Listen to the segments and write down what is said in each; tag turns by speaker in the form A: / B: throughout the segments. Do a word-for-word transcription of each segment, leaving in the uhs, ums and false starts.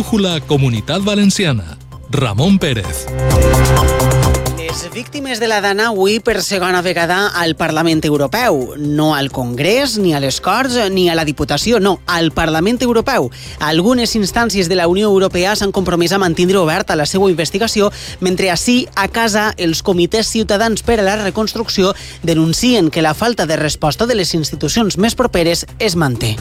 A: Brújula Comunitat Valenciana. Ramon Pérez.
B: Les víctimes de la Dana avui per segona vegada al Parlament Europeu. No al Congrés, ni a les Corts, ni a la Diputació, no, al Parlament Europeu. Algunes instàncies de la Unió Europea s'han compromès a mantindre oberta la seva investigació, mentre ací, a casa, els comitès ciutadans per a la reconstrucció denuncien que la falta de resposta de les institucions més properes es manté.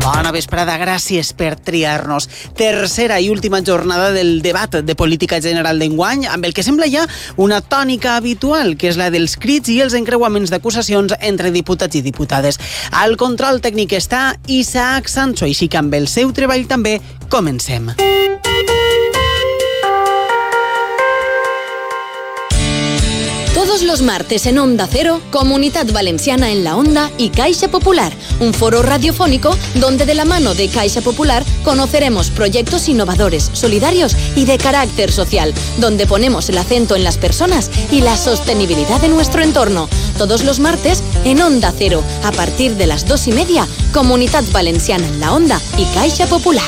B: Bona vesprada, gràcies per triar-nos. Tercera i última jornada del debat de política general d'enguany, amb el que sembla ja una tònica habitual, que és la dels crits i els encreuaments d'acusacions entre diputats i diputades. Al control tècnic està Isaac Sancho, així que amb el seu treball també comencem.
C: Todos los martes en Onda Cero, Comunidad Valenciana en la Onda y Caixa Popular, un foro radiofónico donde de la mano de Caixa Popular conoceremos proyectos innovadores, solidarios y de carácter social, donde ponemos el acento en las personas y la sostenibilidad de nuestro entorno. Todos los martes en Onda Cero, a partir de las dos y media, Comunidad Valenciana en la Onda y Caixa Popular.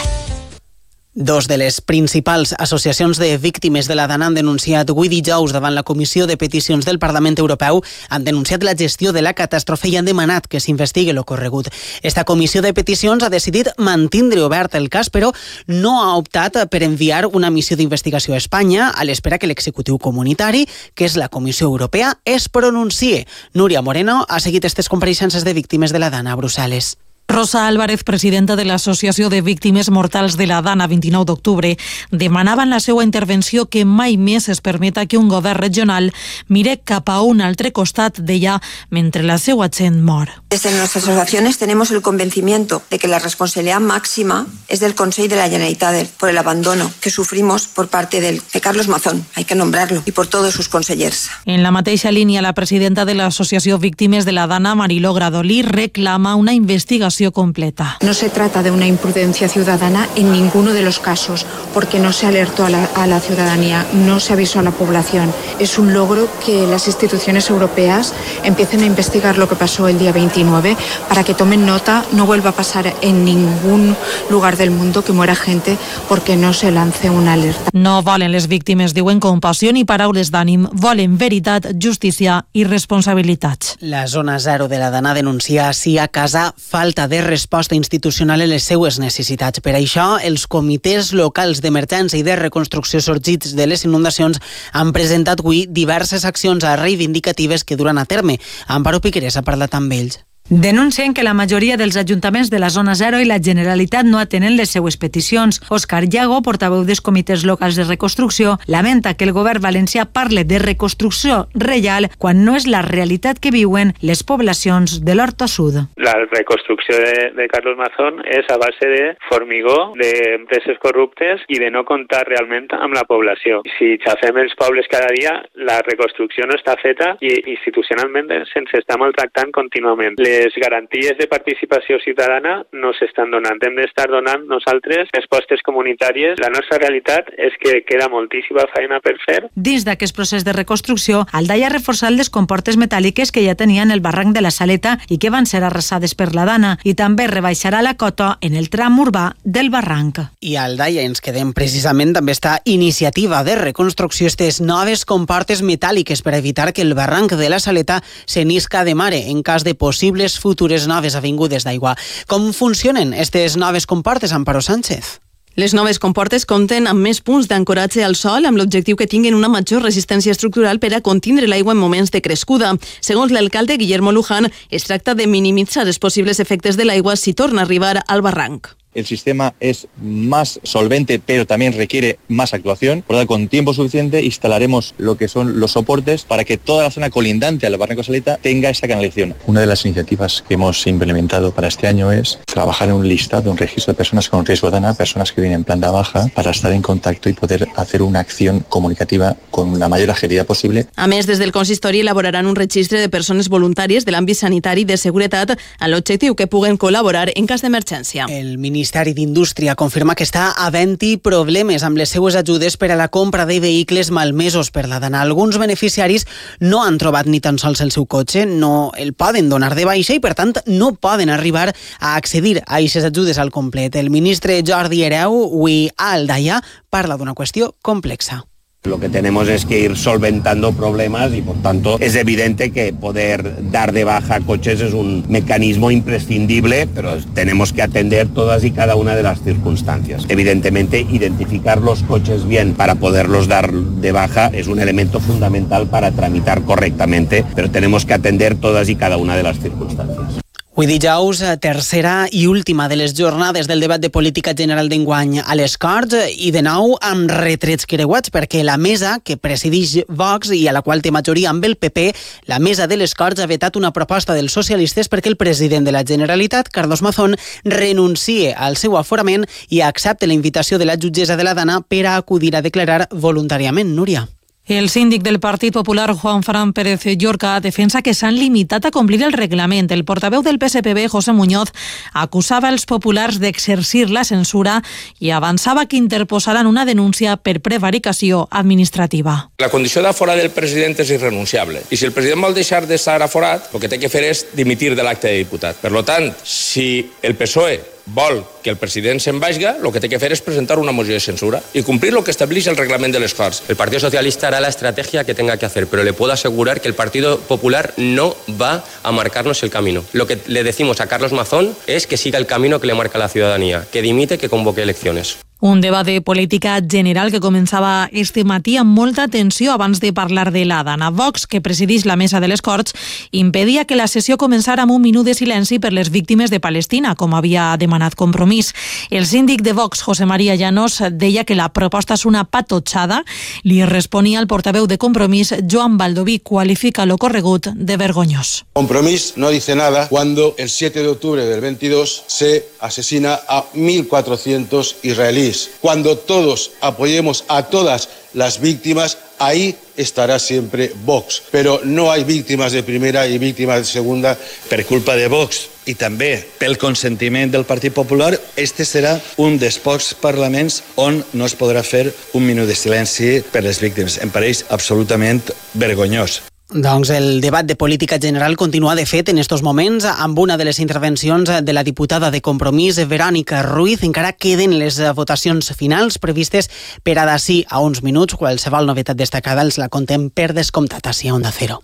B: Dos de les principals associacions de víctimes de la Dana han denunciat avui dijous davant la Comissió de Peticions del Parlament Europeu, han denunciat la gestió de la catàstrofe i han demanat que s'investigui l'ocorregut. Esta Comissió de Peticions ha decidit mantindre obert el cas, però no ha optat per enviar una missió d'investigació a Espanya a l'espera que l'executiu comunitari, que és la Comissió Europea, es pronuncie. Núria Moreno ha seguit aquestes compareixences de víctimes de la Dana a Brussel·les.
D: Rosa Álvarez, presidenta de l'Associació de Víctimes Mortals de la Dana, vint-i-nou d'octubre, demanava en la seva intervenció que mai més es permeta que un govern regional mire cap a un altre costat d'ella mentre la seva gent mor.
E: Desde nuestras asociaciones tenemos el convencimiento de que la responsabilidad máxima es del Consell de la Generalitat por el abandono que sufrimos por parte del, de Carlos Mazón, hay que nombrarlo, y por todos sus consellers.
D: En la mateixa línia, la presidenta de l'Associació Víctimes de la Dana, Mariló Gradolí, reclama una investigació completa.
F: No se trata de una imprudencia ciudadana en ninguno de los casos, porque no se alertó a la, a la ciudadanía, no se avisó a la población. Es un logro que las instituciones europeas empiecen a investigar lo que pasó el día veintinueve para que tomen nota, no vuelva a pasar en ningún lugar del mundo que muera gente porque no se lance una alerta.
D: No volen les víctimes, diuen, compassió ni paraules d'ànim, volen veritat, justícia i responsabilitats.
B: La zona zero de la Dana denuncia així a casa falta de resposta institucional en les seues necessitats. Per això, els comitès locals d'emergència i de reconstrucció sorgits de les inundacions han presentat avui diverses accions reivindicatives que duran a terme. Amparo Piqueres ha parlat amb ells.
G: Denuncien que la majoria dels ajuntaments de la zona zero i la Generalitat no atenen les seues peticions. Òscar Llago, portaveu dels comitès locals de reconstrucció, lamenta que el govern valencià parle de reconstrucció reial quan no és la realitat que viuen les poblacions de l'Horta Sud.
H: La reconstrucció de, de Carlos Mazón és a base de formigó, d'empreses corruptes i de no comptar realment amb la població. Si xafem els pobles cada dia, la reconstrucció no està feta i institucionalment se'ns està maltractant contínuament. Les garanties de participació ciutadana no s'estan donant. Hem d'estar donant nosaltres respostes comunitàries. La nostra realitat és que queda moltíssima feina per fer.
G: Dins d'aquest procés de reconstrucció, Aldaia ha reforçat les comportes metàl·liques que ja tenien el barranc de la Saleta i que van ser arrasades per la Dana, i també rebaixarà la cota en el tram urbà del barranc.
B: I a Aldaia ens quedem precisament també esta iniciativa de reconstrucció, aquestes noves comportes metàl·liques per evitar que el barranc de la Saleta se n'isca de mare en cas de possibles futures noves avingudes d'aigua. Com funcionen aquestes noves comportes, Amparo Sánchez?
I: Les noves comportes compten amb més punts d'ancoratge al sòl amb l'objectiu que tinguin una major resistència estructural per a contindre l'aigua en moments de crescuda. Segons l'alcalde Guillermo Luján, es tracta de minimitzar els possibles efectes de l'aigua si torna a arribar al barranc.
J: El sistema es más solvente, pero también requiere más actuación. Por lo tanto, con tiempo suficiente instalaremos lo que son los soportes para que toda la zona colindante al barranco Saleta tenga esta canalización. Una de las iniciativas que hemos implementado para este año es trabajar en un listado, un registro de personas con riesgo de Dana, personas que vienen en planta baja, para estar en contacto y poder hacer una acción comunicativa con la mayor agilidad posible.
I: A més, des del consistori elaboraran un registre de persones voluntàries de l'àmbit sanitari i de seguretat amb l'objectiu que puguen col·laborar en cas d'emergència.
B: El ministre Ministeri d'Indústria confirma que està havent-hi problemes amb les seues ajudes per a la compra de vehicles malmesos per la Dana. Alguns beneficiaris no han trobat ni tan sols el seu cotxe, no el poden donar de baixa i, per tant, no poden arribar a accedir a aquestes ajudes al complet. El ministre Jordi Hereu, avui a Aldaia, parla d'una qüestió complexa.
K: Lo que tenemos es que ir solventando problemas y, por tanto, es evidente que poder dar de baja coches es un mecanismo imprescindible, pero tenemos que atender todas y cada una de las circunstancias. Evidentemente, identificar los coches bien para poderlos dar de baja es un elemento fundamental para tramitar correctamente, pero tenemos que atender todas y cada una de las circunstancias.
B: Avui dijous, tercera i última de les jornades del debat de política general d'enguany a les Corts i de nou amb retrets creuats perquè la mesa que presideix Vox i a la qual té majoria amb el P P, la mesa de les Corts ha vetat una proposta dels socialistes perquè el president de la Generalitat, Carlos Mazón, renuncie al seu aforament i accepte la invitació de la jutgessa de la Dana per a acudir a declarar voluntàriament. Núria.
D: El síndic del Partit Popular, Juan Fran Pérez Llorca, defensa que s'han limitat a complir el reglament. El portaveu del P S P B, José Muñoz, acusava els populars d'exercir la censura i avançava que interposaran una denúncia per prevaricació administrativa.
L: La condició d'aforat del president és irrenunciable i si el president vol deixar d'estar aforat, el que té que fer és dimitir de l'acte de diputat. Per tant, si el P S O E vol que el president se'n vagi, el que té que fer és presentar una moció de censura y cumplir lo que estableix el reglament de les Corts.
M: El Partido Socialista hará la estrategia que tenga que hacer, pero le puedo asegurar que el Partido Popular no va a marcarnos el camino. Lo que le decimos a Carlos Mazón es que siga el camino que le marca la ciudadanía, que dimite, que convoque elecciones.
D: Un debat de política general que començava este matí amb molta tensió abans de parlar de la Dana. Vox, que presideix la mesa de les Corts, impedia que la sessió començara amb un minut de silenci per les víctimes de Palestina, com havia demanat Compromís. El síndic de Vox, José María Llanos, deia que la proposta és una patotxada. Li responia el portaveu de Compromís, Joan Baldoví, qualifica lo corregut de vergonyós.
N: Compromís no dice nada cuando el siete de octubre del veintidós se asesina a mil cuatrocientos israelíes. Cuando todos apoyemos a todas las víctimas, ahí estará siempre Vox. Pero no hay víctimas de primera y víctimas de segunda.
J: Per culpa de Vox i també pel consentiment del Partit Popular, este serà un dels pocs parlaments on no es podrà fer un minut de silenci per les víctimes. Em pareix absolutament vergonyós.
B: Doncs el debat de política general continua, de fet, en estos moments, amb una de les intervencions de la diputada de Compromís, Verònica Ruiz. Encara queden les votacions finals previstes per a d'ací a uns minuts. Qualsevol novetat destacada els la contem per descomptat ací a Onda Cero.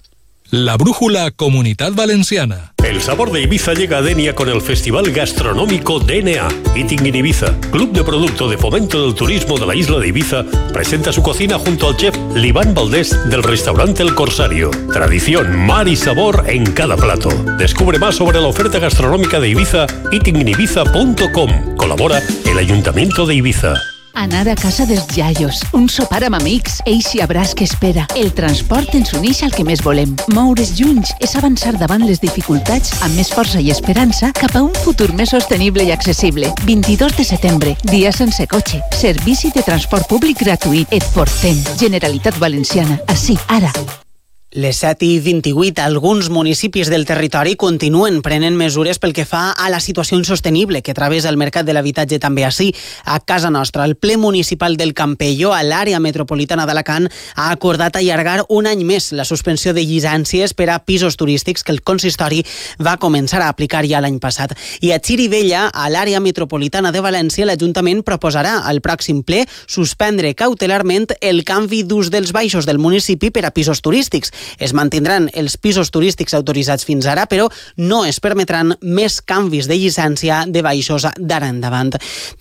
A: La brújula Comunidad Valenciana.
O: El sabor de Ibiza llega a Denia con el Festival Gastronómico D N A. Eating in Ibiza, club de producto de fomento del turismo de la isla de Ibiza, presenta su cocina junto al chef Liván Valdés del restaurante El Corsario. Tradición, mar y sabor en cada plato. Descubre más sobre la oferta gastronómica de Ibiza, eating in ibiza punto com. Colabora el Ayuntamiento de Ibiza.
P: Anar a casa dels iaios, un sopar amb amics, eixe abraç que espera. El transport ens uneix al que més volem. Moure's junts és avançar davant les dificultats amb més força i esperança cap a un futur més sostenible i accessible. vint-i-dos de setembre, dia sense cotxe. Servici de transport públic gratuït. Et portem. Generalitat Valenciana. Ací, ara.
B: Les set i vint-i-vuit, alguns municipis del territori continuen prenent mesures pel que fa a la situació insostenible que travessa el mercat de l'habitatge també ací, a casa nostra. El ple municipal del Campello, a l'àrea metropolitana d'Alacant, ha acordat allargar un any més la suspensió de llicències per a pisos turístics que el consistori va començar a aplicar ja l'any passat. I a Xirivella, a l'àrea metropolitana de València, l'Ajuntament proposarà al pròxim ple suspendre cautelarment el canvi d'ús dels baixos del municipi per a pisos turístics. Es mantindran els pisos turístics autoritzats fins ara, però no es permetran més canvis de llicència de baixos d'ara endavant.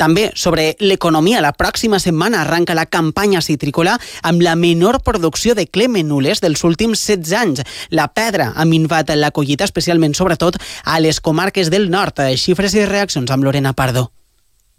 B: També sobre l'economia, la pròxima setmana arranca la campanya citrícola amb la menor producció de clemenules dels últims setze anys. La pedra ha minvat la collita, especialment, sobretot, a les comarques del nord. Xifres i reaccions amb Lorena Pardo.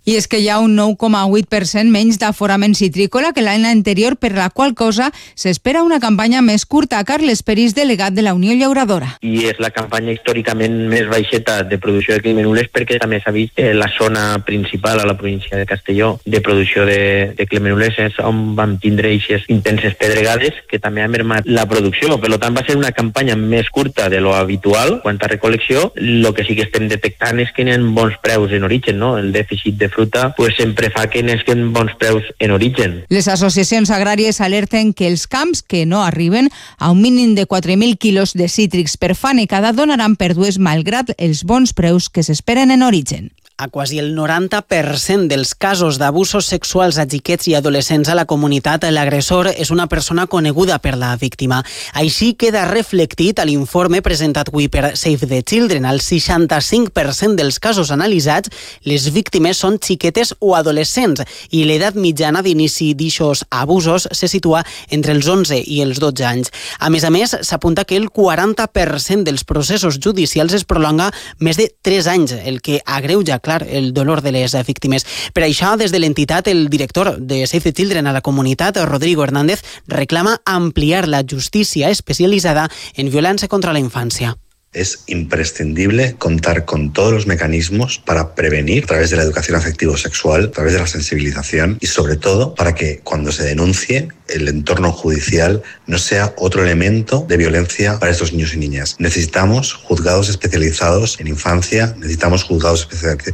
Q: I és que hi ha un nou coma vuit per cent menys d'aforament citrícola que l'any anterior, per la qual cosa s'espera una campanya més curta. Carles Peris, delegat de la Unió Llauradora.
R: I és la campanya històricament més baixeta de producció de clemenulers, perquè també s'ha vist eh, la zona principal a la província de Castelló de producció de, de clemenulers és on vam tindre aquestes intenses pedregades que també ha mermat la producció. Per tant, va ser una campanya més curta de lo habitual quant a recol·lecció. El que sí que estem detectant és que hi ha bons preus en origen, no? El dèficit de fruta pues sempre fa que n'esquen bons preus en origen.
Q: Les associacions agràries alerten que els camps que no arriben a un mínim de quatre mil quilos de cítrics per fanecada donaran pèrdues malgrat els bons preus que s'esperen en origen.
B: A quasi el noranta per cent dels casos d'abusos sexuals a xiquets i adolescents a la comunitat, l'agressor és una persona coneguda per la víctima. Així queda reflectit a l'informe presentat avui per Save the Children. Al seixanta-cinc per cent dels casos analitzats, les víctimes són xiquetes o adolescents i l'edat mitjana d'inici d'ixos abusos se situa entre els onze i els dotze anys. A més a més, s'apunta que el quaranta per cent dels processos judicials es prolonga més de tres anys, el que agreuja clar el dolor de les víctimes. Per això, des de l'entitat, el director de Save the Children a la comunitat, Rodrigo Hernández, reclama ampliar la justícia especialitzada en violència contra la infància.
S: Es imprescindible contar con todos los mecanismos para prevenir a través de la educación afectivo-sexual, a través de la sensibilización y sobre todo para que cuando se denuncie el entorno judicial no sea otro elemento de violencia para estos niños y niñas. Necesitamos juzgados especializados en infancia, necesitamos juzgados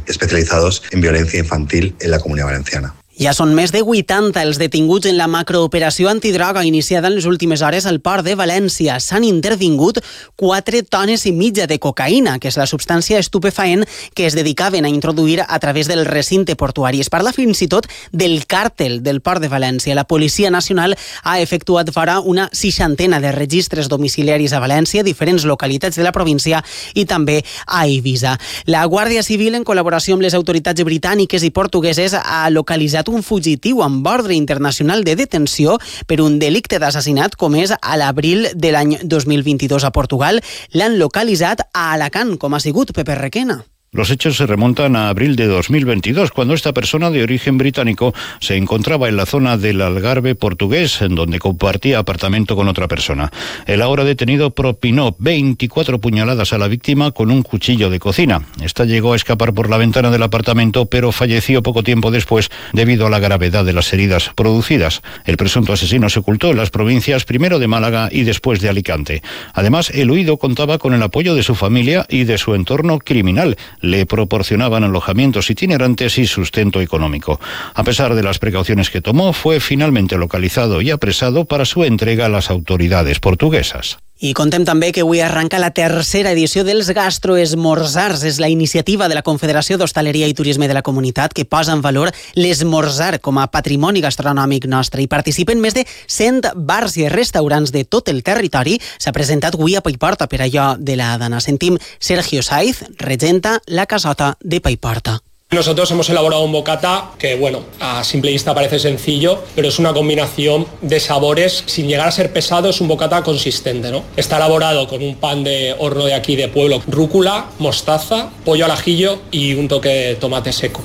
S: especializados en violencia infantil en la Comunidad Valenciana.
B: Ja són més de vuitanta els detinguts en la macrooperació antidroga iniciada en les últimes hores al port de València. S'han intervingut quatre tones i mitja de cocaïna, que és la substància estupefaent que es dedicaven a introduir a través del recinte portuari. Es parla fins i tot del càrtel del port de València. La Policia Nacional ha efectuat fora una seixantena de registres domiciliaris a València, diferents localitats de la província i també a Eivissa. La Guàrdia Civil, en col·laboració amb les autoritats britàniques i portugueses, ha localitzat un fugitiu amb ordre internacional de detenció per un delicte d'assassinat comès a l'abril de l'any dos mil vint-i-dos a Portugal. L'han localitzat a Alacant, com ha sigut Pepe Requena.
T: Los hechos se remontan a abril de dos mil veintidós, cuando esta persona de origen británico se encontraba en la zona del Algarve portugués, en donde compartía apartamento con otra persona. El ahora detenido propinó veinticuatro puñaladas a la víctima con un cuchillo de cocina. Esta llegó a escapar por la ventana del apartamento, pero falleció poco tiempo después debido a la gravedad de las heridas producidas. El presunto asesino se ocultó en las provincias primero de Málaga y después de Alicante. Además, el huido contaba con el apoyo de su familia y de su entorno criminal. Le proporcionaban alojamientos itinerantes y sustento económico. A pesar de las precauciones que tomó, fue finalmente localizado y apresado para su entrega a las autoridades portuguesas.
B: I contem també que avui arranca la tercera edició dels gastroesmorzars. És la iniciativa de la Confederació d'Hostaleria i Turisme de la Comunitat que posa en valor l'esmorzar com a patrimoni gastronòmic nostre. Hi participen més de cent bars i restaurants de tot el territori. S'ha presentat avui a Paiporta per allò de la Dana. Sentim Sergio Saiz, regenta la casota de Paiporta.
U: Nosotros hemos elaborado un bocata que, bueno, a simple vista parece sencillo, pero es una combinación de sabores. Sin llegar a ser pesado, es un bocata consistente, ¿no? Está elaborado con un pan de horno de aquí de pueblo, rúcula, mostaza, pollo al ajillo y un toque de tomate seco.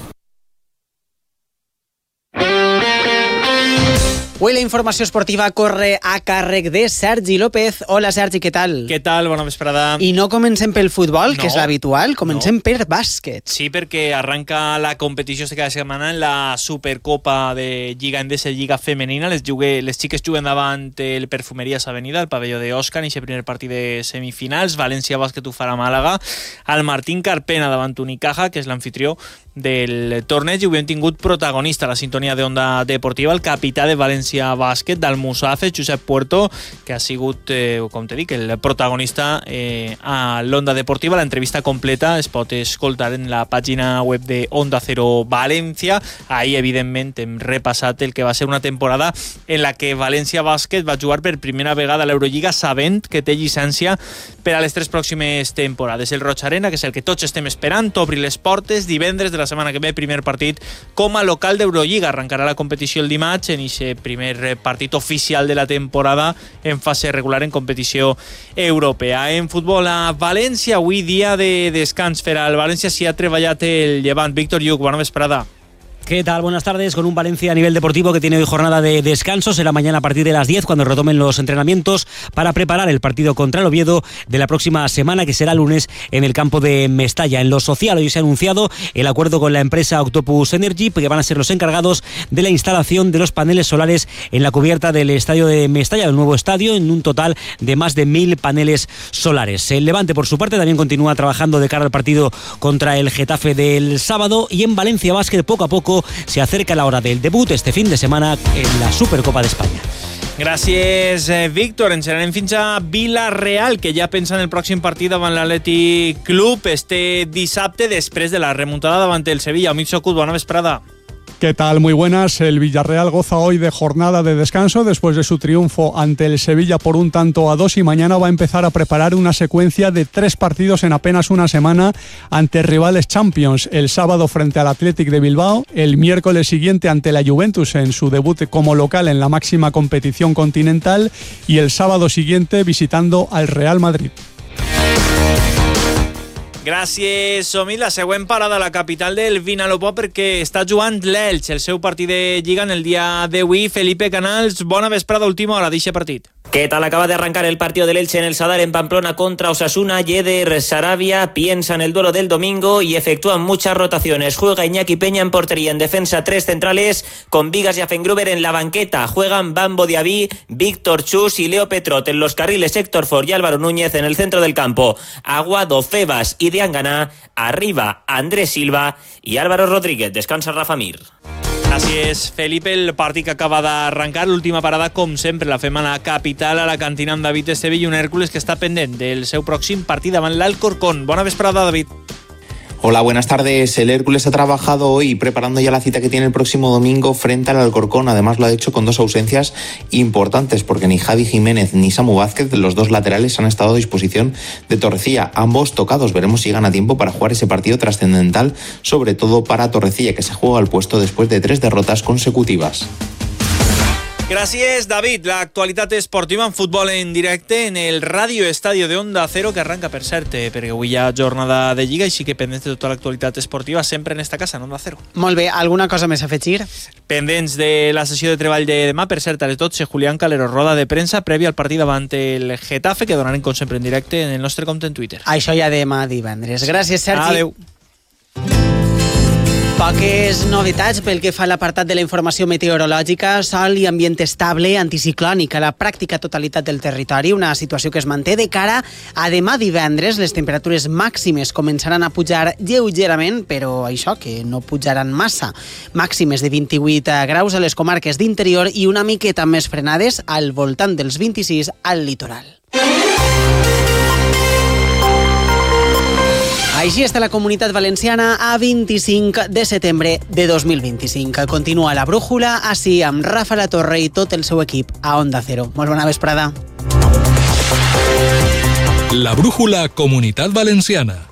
B: Avui la informació esportiva corre a càrrec de Sergi López. Hola, Sergi, què tal?
V: Què tal? Bona vesprada.
B: I no comencem pel futbol,
V: no,
B: que és l'habitual, comencem no. per bàsquet.
V: Sí, perquè arranca la competició de cada setmana en la Supercopa de Lliga Endesa i Lliga Femenina. Les, jugue, les xiques juguen davant el Perfumerías Avenida, el pavelló d'Òscar, en aquest primer partit de semifinals. València Bàsquet ho farà a Màlaga. El Martín Carpena davant Unicaja, que és l'anfitrió del torneig, i avui hem tingut protagonista a la sintonia d'Onda Deportiva, el capità de València Bàsquet, del Musafe, Josep Puerto, que ha sigut, eh, com te dic, el protagonista eh, a l'Onda Deportiva. L'entrevista completa es pot escoltar en la pàgina web de Onda Cero València. Ahir, evidentment, hem repassat el que va ser una temporada en la que València Bàsquet va jugar per primera vegada a l'Eurolliga sabent que té llicència per a les tres pròximes temporades. El Roig Arena, que és el que tots estem esperant, obri les portes divendres de la setmana que ve, primer partit com a local d'Eurolliga. Arrencarà la competició el dimarts en aquest primer partit oficial de la temporada en fase regular en competició europea. En futbol a València, avui dia de descans per al València, s'hi ha treballat el Llevant. Víctor Lluc, bona vesprada.
C: ¿Qué tal? Buenas tardes. Con un Valencia a nivel deportivo que tiene hoy jornada de descanso. Será mañana a partir de las diez cuando retomen los entrenamientos para preparar el partido contra el Oviedo de la próxima semana, que será lunes en el campo de Mestalla. En lo social, hoy se ha anunciado el acuerdo con la empresa Octopus Energy, que van a ser los encargados de la instalación de los paneles solares en la cubierta del estadio de Mestalla, el nuevo estadio, en un total de más de mil paneles solares. El Levante, por su parte, también continúa trabajando de cara al partido contra el Getafe del sábado, y en Valencia Básquet poco a poco se acerca la hora del debut este fin de semana en la Supercopa de España.
V: Gràcies, eh, Víctor. Ens anem fins a Vila-real, que ja pensa en el pròxim partit davant l'Atlètic Club este dissabte, després de la remuntada davant el Sevilla. Amic Socut, bona vesprada.
E: ¿Qué tal? Muy buenas. El Villarreal goza hoy de jornada de descanso después de su triunfo ante el Sevilla por un tanto a dos, y mañana va a empezar a preparar una secuencia de tres partidos en apenas una semana ante rivales Champions. El sábado frente al Athletic de Bilbao, el miércoles siguiente ante la Juventus en su debut como local en la máxima competición continental, y el sábado siguiente visitando al Real Madrid.
V: Gràcies, Somi. La següent parada a la capital del Vinalopó, perquè està jugant l'Elx, el seu partit de Lliga en el dia d'avui. Felipe Canals, bona vesprada, última hora d'eixe partit.
W: ¿Qué tal? Acaba de arrancar el partido del Elche en el Sadar en Pamplona contra Osasuna. Yeder Sarabia piensa en el duelo del domingo y efectúan muchas rotaciones. Juega Iñaki Peña en portería, en defensa tres centrales con Vigas y Afengruber en la banqueta. Juegan Bambo Diaby, Víctor Chus y Leo Petrot en los carriles, Héctor Ford y Álvaro Núñez en el centro del campo. Aguado, Febas y Diangana. Arriba Andrés Silva y Álvaro Rodríguez. Descansa Rafa Mir.
V: Gràcies, Felipe. El partit que acaba d'arrencar, l'última parada, com sempre, la fem a la capital, a la cantina amb David Estevell, un Hèrcules que està pendent del seu pròxim partit davant l'Alcorcón. Bona vesprada, David.
X: Hola, buenas tardes. El Hércules ha trabajado hoy preparando ya la cita que tiene el próximo domingo frente al Alcorcón. Además lo ha hecho con dos ausencias importantes, porque ni Javi Jiménez ni Samu Vázquez, los dos laterales, han estado a disposición de Torrecilla. Ambos tocados. Veremos si gana tiempo para jugar ese partido trascendental, sobre todo para Torrecilla, que se juega al puesto después de tres derrotas consecutivas.
V: Gràcies, David. L'actualitat esportiva en futbol en directe en el Ràdio Estadio de Onda Cero, que arranca, per cert, perquè avui hi ha jornada de Lliga, així que pendents de tota l'actualitat esportiva sempre en esta casa, en Onda Cero.
B: Molt bé. Alguna cosa més a afegir?
V: Pendents de la sessió de treball de demà, per cert, a les dotze, Julián Calero, roda de premsa prèvia al partit davant el Getafe, que donarem com sempre en directe en el nostre compte en Twitter.
B: Això ja demà divendres. Gràcies, Sergi.
V: Adéu.
B: Poques novetats pel que fa a l'apartat de la informació meteorològica. Sol i ambient estable, anticiclònic a la pràctica totalitat del territori, una situació que es manté de cara a demà divendres. Les temperatures màximes començaran a pujar lleugerament, però això, que no pujaran massa. Màximes de vint-i-vuit graus a les comarques d'interior i una miqueta més frenades al voltant dels vint-i-sis al litoral. Així està la Comunitat Valenciana a vint-i-cinc de setembre de dos mil vint-i-cinc. Continua la brújula, així amb Rafa La Torre i tot el seu equip a Onda Cero. Molt bona vesprada.
A: La brújula Comunitat Valenciana.